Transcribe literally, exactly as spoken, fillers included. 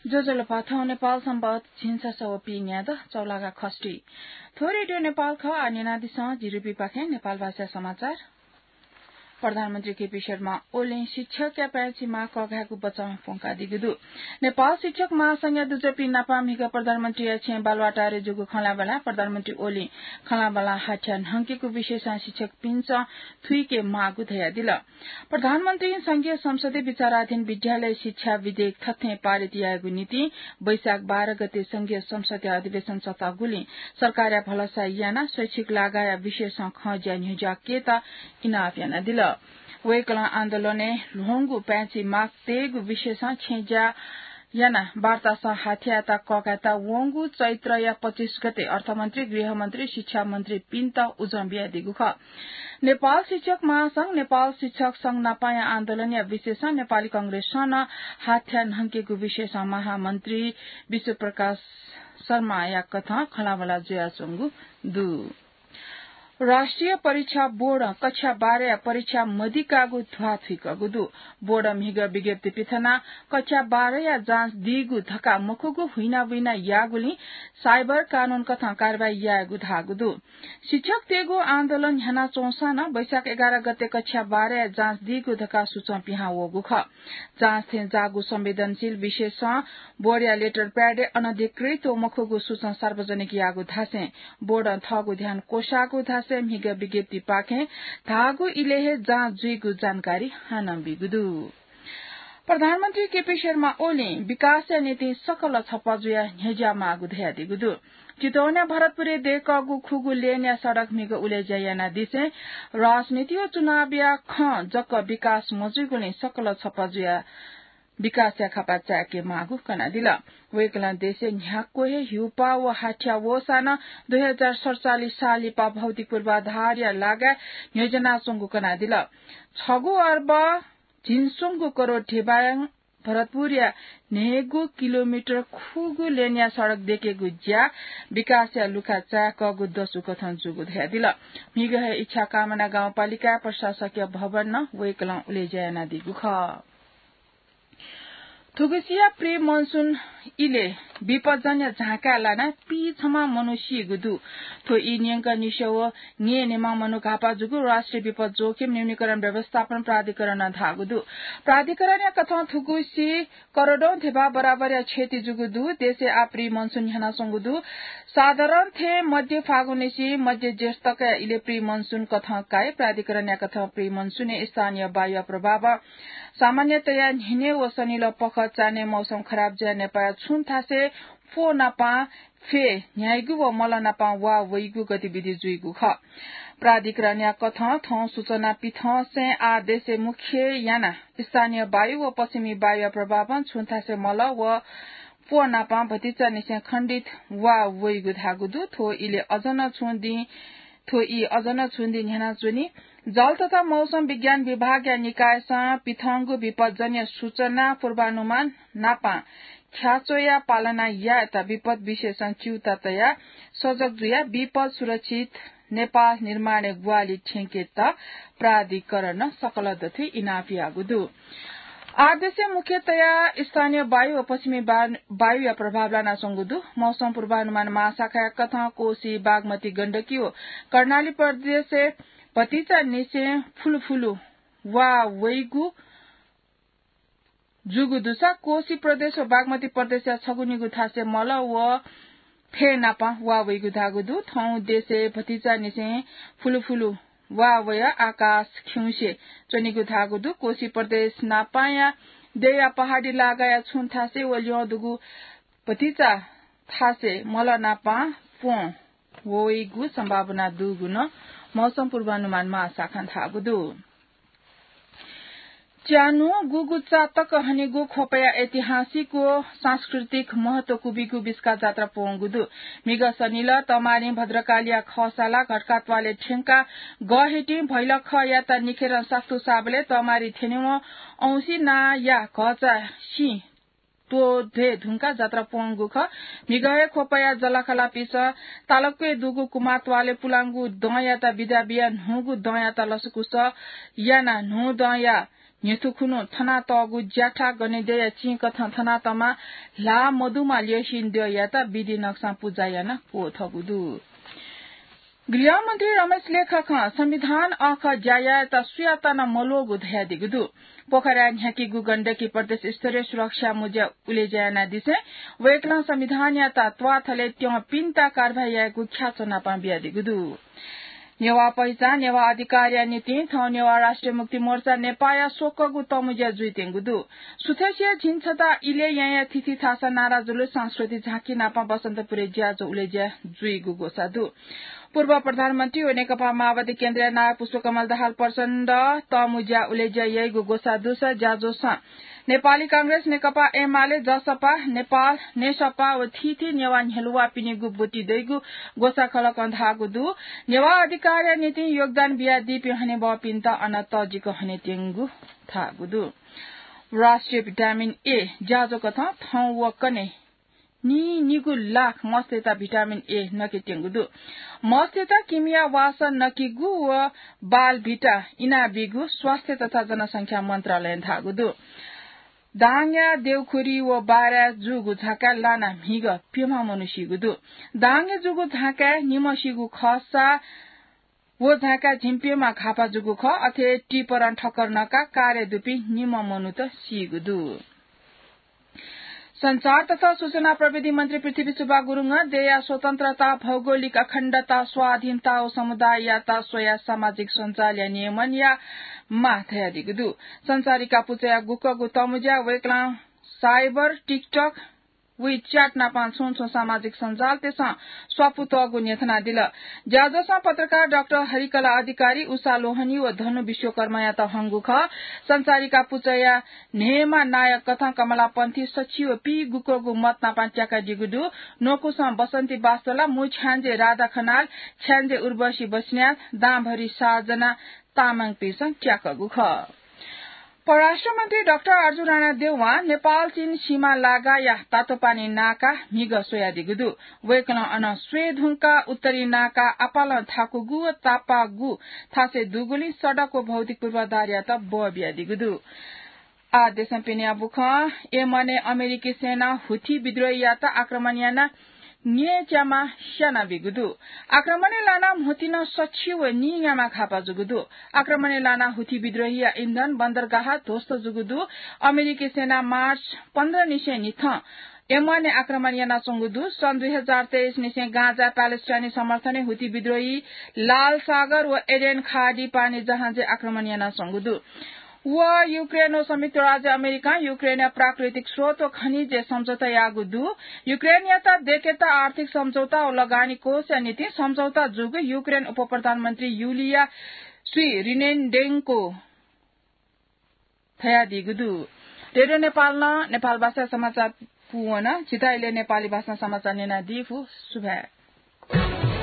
ज्वजलपा, थौं नेपाल संवत् झिंछसः व पीन्यादँ चौलागा खष्ठी। थ्व रेडियो नेपाल खः। आः न्यनादिसँ, जिरुपिपाखें नेपाल भाषा समाचार। प्रधानमन्त्री केपी शर्मा ओलीं शिक्षकया पाय्छि माः कःघायेगु बचं प्वंकादीगु दु। नेपाल शिक्षक महासंघया दुजःपिं नाप म्हिगः प्रधानमन्त्रीया छेँय् बालुवाटारय् जूगु खँल्हाबल्हाय् प्रधानमन्त्री ओलीं खँल्हाबल्हां हाथ्या न्हंकेगु विषयसं शिक्षकपिन्सं थुइके माःगु धयादिल। प्रधानमन्त्रीं संघीय संसदय् विचाराधीन विद्यालय शिक्षा विधेयक थथें पारित यायेगु निंतिं वैशाख बाह्र गते संघीय संसदया अधिवेशन सतःगुलिं सरकारया भलसा यानाः शैक्षिक लागाया विषयसं खँज्या न्ह्यज्याकेत इनाप यानादिल। वय्कलं आन्दोलनय् ल्ह्वंगु पाय्छि माग तयेगु विषयसं छेँज्या यानाः वार्तासं हाथ्यायात कःघायेत वंगु चैत्रया पच्चिस गते अर्थमन्त्री, गृहमन्त्री, शिक्षामन्त्रीपिन्त उजं बियादीगु खः। नेपाल शिक्षक महासंघ, नेपाल शिक्षक संघ नापया आन्दोलनया विषयसं नेपाली कंग्रेसं नं हाथ्या न्हंकेगु विषयसं महामन्त्री विश्वप्रकाश शर्माया कथं खँल्हाबल्हा जुयाच्वंगु दु। राष्ट्रिय परीक्षा बोर्डं कक्षा बाह्रया परीक्षा मदिकाःगु ध्वाथुइकागु दु। बोर्डं म्हिगः विज्ञप्ति पिथनाः कक्षा बाह्रया जाँच दीगु धकाः मखुगु हुइनाबुइना याःगुलिं साइबर कानून कथं कारवाही यायेगु धाःगु दु। शिक्षकतय्गु आन्दोलन न्ह्यानाच्वंसां नं वैशाख एघार गते कक्षा बाह्रया जाँच दीगु धकाः सूचं पिहां वःगु खः। जाँच थें जाःगु संवेदनशील विषयसं बोर्डया लेटर प्याडय् अनधिकृत व मखुगु सूचं सार्वजनिक याःगु धासें बोर्डं थःगु ध्यान क्वसाःगु धासें म्हिगः विज्ञप्तिपाखें धाःगु इलय् हे जाँच जुइगु जानकारी हानं बीगु दु। प्रधानमन्त्री केपी शर्मा ओलीं विकासया निंतिं सकल छपा जुयाः न्ह्यज्या माःगु धयादीगु दु। चितवनया भरतपुरय् दय्कःगु खुगू लेनया सडक म्हिगः उलेज्या यानादिसें राजनीति व चुनावया खँ जक विकास मजुइगुलिं सकल छपा जुयाः विकासया खापा चाय्के माःगु कनादिल। वय्कलं देशय् न्ह्याक्व हे ह्युपा व हाथ्या वःसां नं दुई हजार सतचालिस साल लिपा भौतिक पूर्वाधारया लागाय् न्ह्यज्यानाच्वंगु कनादिल। छगू अर्ब झिंस्वंगू करोड धिबां भरतपुरया न्हय्गू किलोमिटर खुगू लेनया सडक दय्केगु ज्या विकासया लुखा चाय्कःगु दसु कथं जूगु धयादिल। म्हिगः हे इच्छाकामना गाउँपालिकाया प्रशासकीय भवन नं वय्कलं उलेज्या यानादीगु खः। थुगुसिया pre monsoon इलय् विपज्जन्य झाँकाय् लानाः पीछम्ह मनू सीगु दु। थ्व ई न्यंकं निस्वः व न्येन्हेम्ह मनू घाःपाः जूगु राष्ट्रिय विपद जोखिम न्यूनीकरण व्यवस्थापन प्राधिकरणं धाःगु दु। प्राधिकरणया कथं थुगुसी करोडौं धिबा बराबरया क्षति जूगु दु। देशय् आः pre monsoon न्ह्यानाच्वंगु दु। साधारण थें मध्य फागुननिसें मध्य जेठ तकया इलय् pre monsoon कथं काइ। प्राधिकरणया कथं pre monsoon-य् स्थानीय वायुया प्रभावं सामान्यतया न्हिनय् व सनिलः पखं चान्हय् मौसम खराब जुयाः नेपाःया छुं थासय् प्वः नापं फ्यँ न्ह्याइगु व मल नापं वा वइगु गतिविधि जुइगु खः। प्राधिकरणया कथं थौं सूचना पिथंसें आः देशय् मुख्य यानाः स्थानीय वायु व पश्चिमी वायुया प्रभावं छुं थासय् मल व प्वः नापं भतिचानिसें खण्डित वा वइगु धाःगु दु। थ्व इलय् अझ नं छुं दिं थ्व ई अझ नं छुं दिं न्ह्यानाच्वनी। जल तथा मौसम विज्ञान विभागया निकायसं पिथंगु विपज्जन्य सूचना पूर्वानुमान नापं ख्याच्वयाः पालना यायेत विपद विशेषज्ञ च्यूता तयाः सजग जुयाः विपद सुरक्षित नेपाः निर्माणय् ग्वाहालि थ्यंकेत प्राधिकरणं सकल दथुइ इनाप याःगु दु। आः देशय् मुख्यतया स्थानीय वायु व पश्चिमी बा-, वायुया प्रभाव लानाच्वंगु दु। मौसम पूर्वानुमान महाशाखाया कथं कोशी, बागमती, गण्डकी व कर्णाली प्रदेशय् भतिचानिसें फुलुफुलु वा वइगु जूगु दुसा कोशी प्रदेश व बागमती प्रदेशया छगू निगू थासय् मल व फ्यँ नापं वा वइगु धाःगु दु। थौं देशय् भतिचानिसें फुलुफुलु वा वयाः आकाश खिउँसे च्वनीगु धाःगु दु। कोशी प्रदेश नापंया देया पहाडी लागाया छुं थासय् व ल्यं दुगु भतिचा थासय् मल नापं प्वँ वइगु सम्भावना दुगु नं मौसम पूर्वानुमान महाशाखां धाःगु दु। च्यान्हु गुगु चा तक हनेगु ख्वपया ऐतिहासिक व सांस्कृतिक महत्व क्वबिगु बिस्का जात्रा प्वंगु दु। म्हिगः सनिलः तमारिं भद्रकालीया खःसाला घटका त्वालय् थ्यंकाः गःहितिं भैलखयात निखेरं सास्तु साबलय् तमारि थ्यनेवं औंसी नांया घःचा सिं त्वःते धुंकाः जात्रा प्वंगु खः। म्हिगः हे ख्वपया जःलाखःलापिसं तालक्वय् दुगु कुमार त्वालय् पुलांगु दँयात बिदा बियाः न्हूगु दँयात लसकुस यानाः न्हूदँया न्ह्यथु खुन्हु थनातःगु ज्याठा गनेद्यःया चिं कथं थनातःमा ल्हाः मदुमा ल्यसिं द्यःयात विधि नक्सां पुजा यानाः क्वथःगु दु। गृहमन्त्री रमेश लेखकं संविधान अःखः ज्या यायेत सुयात नं मल्वःगु धयादीगु दु। पोखराय् न्ह्याकीगु गण्डकी प्रदेश स्तरीय सुरक्षा मुँज्या उलेज्या यानादिसें वय्कलं संविधानयात त्वाथलय् त्यंपिन्त कारवाही यायेगु ख्याच्वनापां बियादीगु दु। नेवाः पहिचान, नेवाः अधिकारया निंतिं थौं नेवाः राष्ट्रिय मुक्ति मोर्चा नेपाःया स्वक्वःगु तःमुँज्या जुइत्यंगु दु। सुथसिया झिंछता इलय् याँया थीथी थासं नारा जुलुस, सांस्कृतिक झाँकी नाप बसन्तपुरय् ज्याझ्वः उलेज्या जुइगु ग्वसाः दु। पूर्व प्रधानमन्त्री व नेकपा माओवादी केन्द्रया नायः पुष्पकमल दाहाल प्रचण्ड तःमुँज्या उलेज्या याइगु ग्वसाः दुसा ज्याझ्वलय् नेपाली कांग्रेस, नेकपा एमाले, जसपा, नेपाल, नेसपा व थीथी नेवाः न्ह्यलुवाःपिनिगु ब्वति दइगु ग्वसाः खलकं धाःगु दु। नेवाः अधिकारया निंतिं योगदान बियादीपिं हनेबहःपिन्त अन तःजिक हनेत्यंगु धाःगु दु। राष्ट्रिय भिटामिन ए ज्याझ्वः कथं थौं व कन्हय् नीनिगू लाख मस्तय्त भिटामिन ए नकेत्यंगु दु। मस्तय्त किमिया वासः नकेगु व बालभिटा इनाबीगु स्वास्थ्य तथा जनसंख्या मन्त्रालयं धाःगु दु। दाङया देउखुरी व बाराय् जूगु झाँकाय् लानाः म्हिगः प्यम्ह मनू सीगु दु। दाङय् जूगु झाँकाय् निम्ह सीगु खःसा व झाँकाय् झिंप्यम्ह घाःपा जूगु खः। अथे टिपरं ठक्कर नकाः कारय् दुपिं निम्ह मनूत सीगु दु। सञ्चार तथा सूचना प्रविधि मन्त्री पृथ्वी सुब्बा गुरुङं देय्‌या स्वतन्त्रता, भौगोलिक अखण्डता, स्वाधीनता व समुदाययात स्वयाः सामाजिक सञ्जालया नियमनया माः धयादीगु दु। सञ्चारिका पुचःया गुकःगु तःमुँज्या वय्‌कलं Viber, TikTok, WeChat नापं छुं छुं सामाजिक सञ्जालतय्‌सं स्वापू तःगु न्ह्यथनादिल। ज्याझ्वलय् पत्रकार डाक्टर हरिकला अधिकारी, उषा लोहनी व धनु विश्वकर्मायात हंगु खः। सञ्चारिका पुचःया न्हय्‌म्ह नायक कथं कमला पन्थी सछि व पीगुकःगु मत नापं त्याकादीगु दु। न्वकुसं बसन्ती बास्तोला, मू छ्याञ्जे राधा खनाल, छ्याञ्जे उर्वशी बस्नेत, दांभरि सात जना तामाङपिन्सं त्याकःगु खः। परराष्ट्र मन्त्री डाक्टर अर्जुन राणा देवां नेपाल चीन सीमा लागाया तातोपानी नाका म्हिगः स्वयादीगु दु। वय्‌कलं अन स्वये धुंकाः उत्तरी नाका आपालं थाकुगु व तापाःगु थासय् दुगुलिं सडक व भौतिक पूर्वाधारयात बः बियादीगु दु। आः देशं पिनेया बुखँ। यमनय् अमेरिकी सेनां हुथी विद्रोहीयात आक्रमण यानाः न्यय्‌च्यामा स्यानाबीगु दु। आक्रमणय् लानाः म्हुतुं सछि व नीन्याम्ह घाःपा जूगु दु। आक्रमणय् लानाः हुथी विद्रोहीया इन्धन बन्दरगाह ध्वस्त जूगु दु। अमेरिकी सेनां मार्च पन्ध्र निसें निथं यमनय् आक्रमण यानाच्वंगु दु। सन् दुई हजार तेइस निसें गाजाय् प्यालेस्टाइनी समर्थनय् हुथी विद्रोही लाल सागर व एडेन खाडी पानी जहाजय् आक्रमण यानाच्वंगु दु। व युक्रेन व संयुक्त राज्य अमेरिकां युक्रेनया प्राकृतिक स्रोत व खनिजय् सम्झौता याःगु दु। युक्रेनयात दय्‌केत आर्थिक सम्झौता व लगानी कोषया निंतिं सम्झौता जूगु युक्रेन उपप्रधानमन्त्री युलिया स्विरिनेन्डेन्को धयादीगु दु। रेडियो नेपालं नेपाल भाषाय् समाचार पूवन। झीत इलय् नेपाली भाषां समाचार न्यनादीगु सुभाय्।